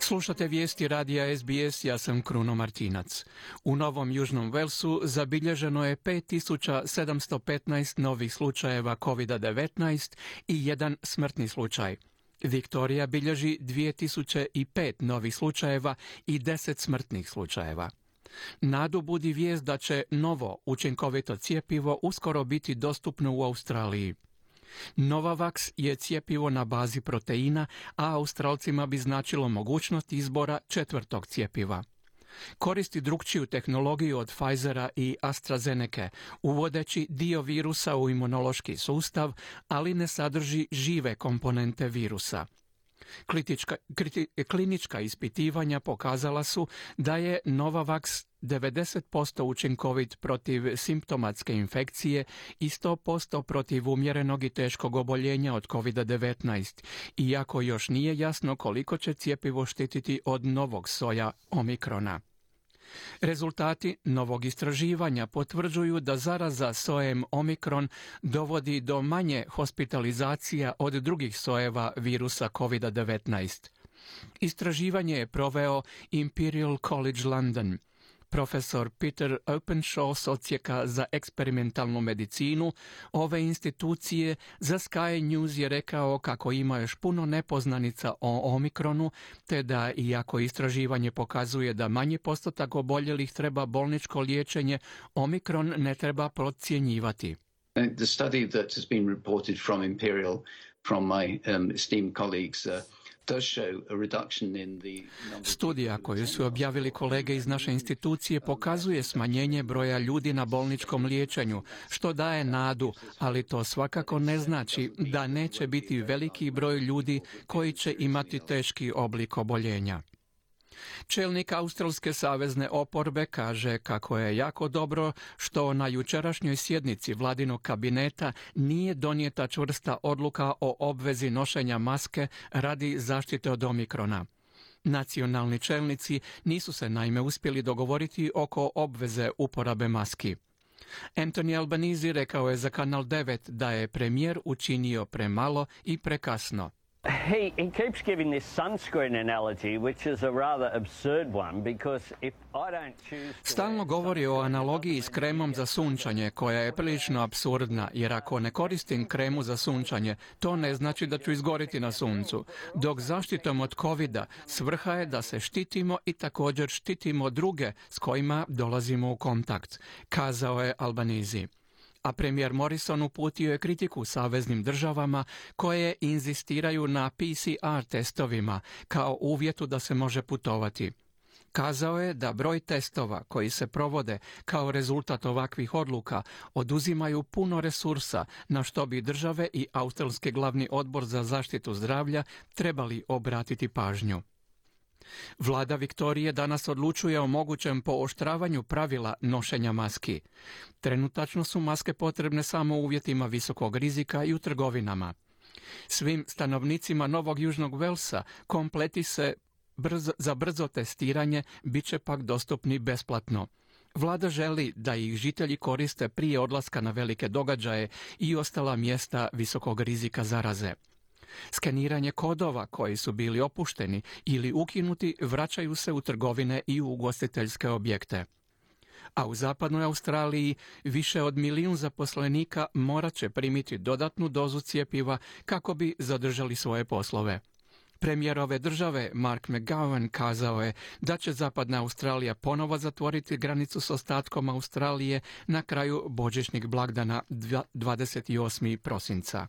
Slušate vijesti radija SBS, ja sam Kruno Martinac. U Novom Južnom Velsu zabilježeno je 5715 novih slučajeva COVID-19 i jedan smrtni slučaj. Viktorija bilježi 2005 novih slučajeva i 10 smrtnih slučajeva. Nadu budi vijest da će novo učinkovito cjepivo uskoro biti dostupno u Australiji. Novavax je cjepivo na bazi proteina, a Australcima bi značilo mogućnost izbora četvrtog cjepiva. Koristi drukčiju tehnologiju od Pfizera i AstraZeneca, uvodeći dio virusa u imunološki sustav, ali ne sadrži žive komponente virusa. Klinička ispitivanja pokazala su da je Novavax 90% učinkovit protiv simptomatske infekcije i 100% protiv umjerenog i teškog oboljenja od COVID-19, iako još nije jasno koliko će cjepivo štititi od novog soja Omikrona. Rezultati novog istraživanja potvrđuju da zaraza sojem Omikron dovodi do manje hospitalizacija od drugih sojeva virusa COVID-19. Istraživanje je proveo Imperial College London. Profesor Peter Openshaw s odsjeka za eksperimentalnu medicinu ove institucije za Sky News je rekao kako ima još puno nepoznanica o Omikronu, te da iako istraživanje pokazuje da manji postotak oboljelih treba bolničko liječenje, Omikron ne treba podcjenjivati. The study that has been reported from Imperial, from my esteemed colleagues, Studija koju su objavili kolege iz naše institucije pokazuje smanjenje broja ljudi na bolničkom liječenju, što daje nadu, ali to svakako ne znači da neće biti veliki broj ljudi koji će imati teški oblik oboljenja. Čelnik Australske savezne oporbe kaže kako je jako dobro što na jučerašnjoj sjednici vladinog kabineta nije donijeta čvrsta odluka o obvezi nošenja maske radi zaštite od Omikrona. Nacionalni čelnici nisu se naime uspjeli dogovoriti oko obveze uporabe maski. Anthony Albanese rekao je za Kanal 9 da je premijer učinio premalo i prekasno. He keeps giving this sunscreen analogy, which is a rather absurd one, because if I don't choose to... Stalno govori o analogiji s kremom za sunčanje, koja je prilično apsurdna, jer ako ne koristim kremu za sunčanje, to ne znači da ću izgoriti na suncu. Dok zaštitom od covida svrha je da se štitimo i također štitimo druge s kojima dolazimo u kontakt, kazao je Albanese. A premijer Morrison uputio je kritiku saveznim državama koje inzistiraju na PCR testovima kao uvjetu da se može putovati. Kazao je da broj testova koji se provode kao rezultat ovakvih odluka oduzimaju puno resursa na što bi države i Australski glavni odbor za zaštitu zdravlja trebali obratiti pažnju. Vlada Viktorije danas odlučuje o mogućem pooštravanju pravila nošenja maski. Trenutačno su maske potrebne samo u uvjetima visokog rizika i u trgovinama. Svim stanovnicima Novog Južnog Velsa kompleti se za brzo testiranje bit će pak dostupni besplatno. Vlada želi da ih žitelji koriste prije odlaska na velike događaje i ostala mjesta visokog rizika zaraze. Skeniranje kodova koji su bili opušteni ili ukinuti vraćaju se u trgovine i u ugostiteljske objekte. A u zapadnoj Australiji više od 1 milijun zaposlenika morat će primiti dodatnu dozu cjepiva kako bi zadržali svoje poslove. Premijer ove države, Mark McGowan, kazao je da će zapadna Australija ponovo zatvoriti granicu s ostatkom Australije na kraju božićnih blagdana 28. prosinca.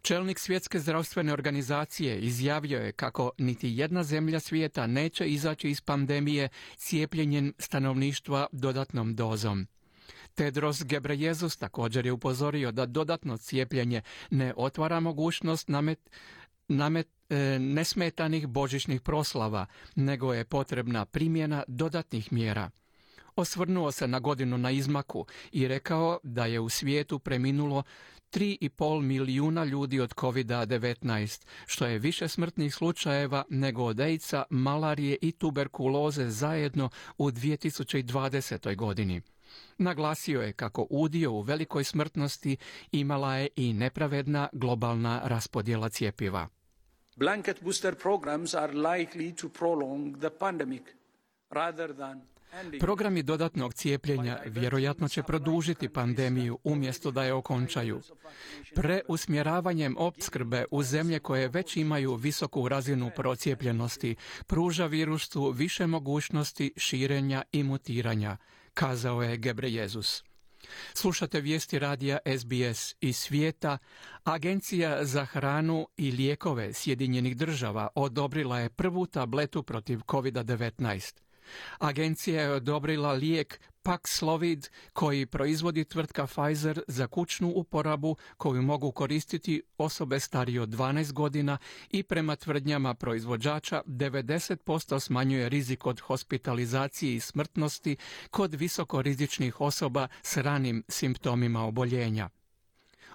Čelnik Svjetske zdravstvene organizacije izjavio je kako niti jedna zemlja svijeta neće izaći iz pandemije cijepljenjem stanovništva dodatnom dozom. Tedros Ghebreyesus također je upozorio da dodatno cijepljenje ne otvara mogućnost nesmetanih božićnih proslava, nego je potrebna primjena dodatnih mjera. Osvrnuo se na godinu na izmaku i rekao da je u svijetu preminulo 3,5 milijuna ljudi od COVID-19, što je više smrtnih slučajeva nego od AIDS-a, malarije i tuberkuloze zajedno u 2020. godini. Naglasio je kako udio u velikoj smrtnosti imala je i nepravedna globalna raspodjela cjepiva. Blanket booster programs are likely to prolong the pandemic rather than Programi dodatnog cijepljenja vjerojatno će produžiti pandemiju umjesto da je okončaju. Preusmjeravanjem opskrbe u zemlje koje već imaju visoku razinu procijepljenosti pruža virusu više mogućnosti širenja i mutiranja, kazao je Gebrejezus. Slušate vijesti radija SBS iz svijeta. Agencija za hranu i lijekove Sjedinjenih država odobrila je prvu tabletu protiv COVID-19. Agencija je odobrila lijek Paxlovid koji proizvodi tvrtka Pfizer za kućnu uporabu koju mogu koristiti osobe starije od 12 godina i prema tvrdnjama proizvođača 90% smanjuje rizik od hospitalizacije i smrtnosti kod visokorizičnih osoba s ranim simptomima oboljenja.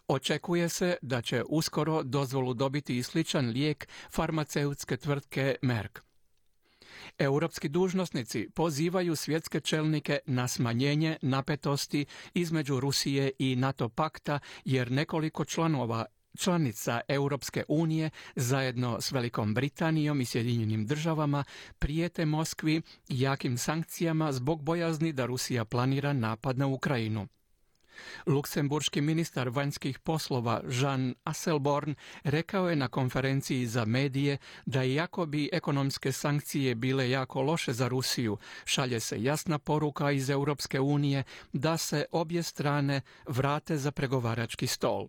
Očekuje se da će uskoro dozvolu dobiti i sličan lijek farmaceutske tvrtke Merck. Europski dužnosnici pozivaju svjetske čelnike na smanjenje napetosti između Rusije i NATO pakta jer nekoliko članica Europske unije zajedno s Velikom Britanijom i Sjedinjenim državama prijete Moskvi jakim sankcijama zbog bojazni da Rusija planira napad na Ukrajinu. Luksemburški ministar vanjskih poslova Jean Asselborn rekao je na konferenciji za medije da iako bi ekonomske sankcije bile jako loše za Rusiju, šalje se jasna poruka iz Europske unije da se obje strane vrate za pregovarački stol.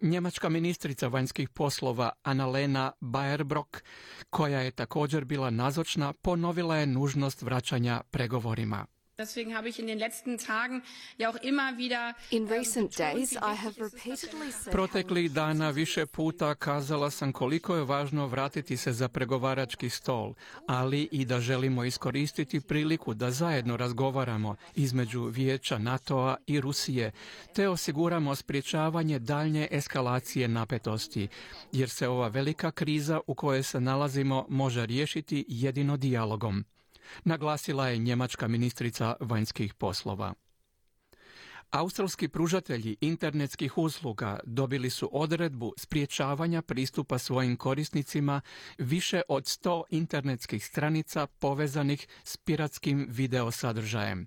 Njemačka ministrica vanjskih poslova Annalena Baerbock, koja je također bila nazočna, ponovila je nužnost vraćanja pregovorima. Deswegen habe ich in den letzten Tagen ja auch immer wieder in recent days I have repeatedly said Proteklih dana više puta kazala sam koliko je važno vratiti se za pregovarački stol, ali i da želimo iskoristiti priliku da zajedno razgovaramo između Vijeća NATO-a i Rusije, te osiguramo sprječavanje daljnje eskalacije napetosti, jer se ova velika kriza u kojoj se nalazimo može riješiti jedino dijalogom, naglasila je njemačka ministrica vanjskih poslova. Australski pružatelji internetskih usluga dobili su odredbu sprječavanja pristupa svojim korisnicima više od 100 internetskih stranica povezanih s piratskim video sadržajem.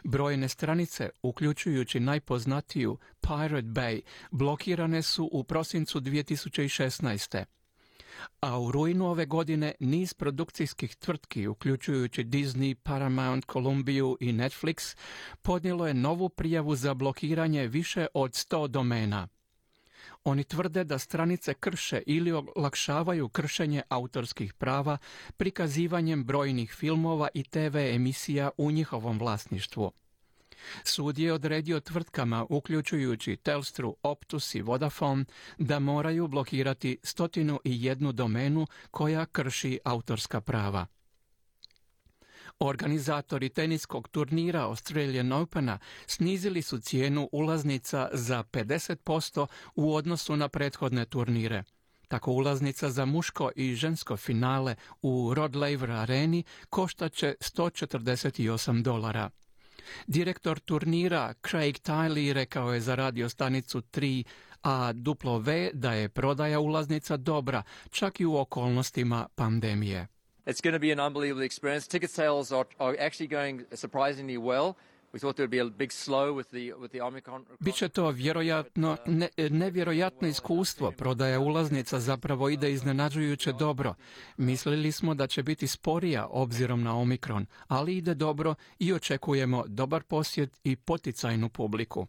Brojne stranice, uključujući najpoznatiju Pirate Bay, blokirane su u prosincu 2016. A u rujnu ove godine niz produkcijskih tvrtki, uključujući Disney, Paramount, Columbiju i Netflix, podnijelo je novu prijavu za blokiranje više od 100 domena. Oni tvrde da stranice krše ili olakšavaju kršenje autorskih prava prikazivanjem brojnih filmova i TV emisija u njihovom vlasništvu. Sud je odredio tvrtkama, uključujući Telstru, Optus i Vodafone, da moraju blokirati 101 domenu koja krši autorska prava. Organizatori teniskog turnira Australian Opena snizili su cijenu ulaznica za 50% u odnosu na prethodne turnire. Tako ulaznica za muško i žensko finale u Rod Laver areni koštaće $148. Direktor turnira Craig Tiley rekao je za radiostanicu 3AW da je prodaja ulaznica dobra, čak i u okolnostima pandemije. It's going to be an unbelievable experience. Ticket sales are actually going surprisingly well. We thought there would be a big slow with the Omicron. Biće to vjerojatno nevjerojatno iskustvo. Prodaja ulaznica zapravo ide iznenađujuće dobro. Mislili smo da će biti sporija obzirom na Omikron, ali ide dobro i očekujemo dobar posjet i poticajnu publiku.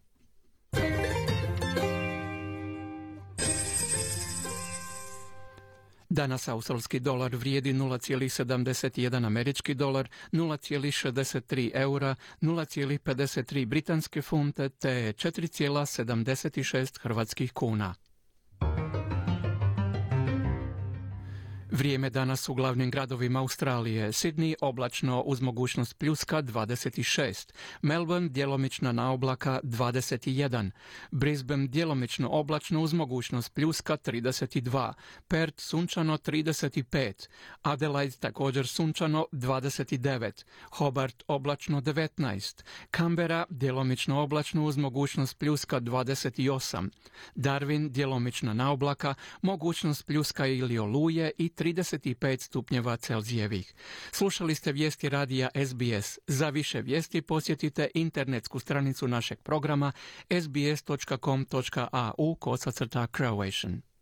Danas australski dolar vrijedi 0,71 američki dolar, 0,63 eura, 0,53 britanske funte te 4,76 hrvatskih kuna. Vrijeme danas u glavnim gradovima Australije. Sydney oblačno uz mogućnost pljuska 26, Melbourne djelomična na oblaka 21, Brisbane djelomično oblačno uz mogućnost pljuska 32, Perth sunčano 35, Adelaide također sunčano 29, Hobart oblačno 19, Canberra djelomično oblačno uz mogućnost pljuska 28, Darwin djelomična na oblaka, mogućnost pljuska ili oluje i 35 stupnjeva Celzijevih. Slušali ste vijesti radija SBS. Za više vijesti posjetite internetsku stranicu našeg programa sbs.com.au/Croatian.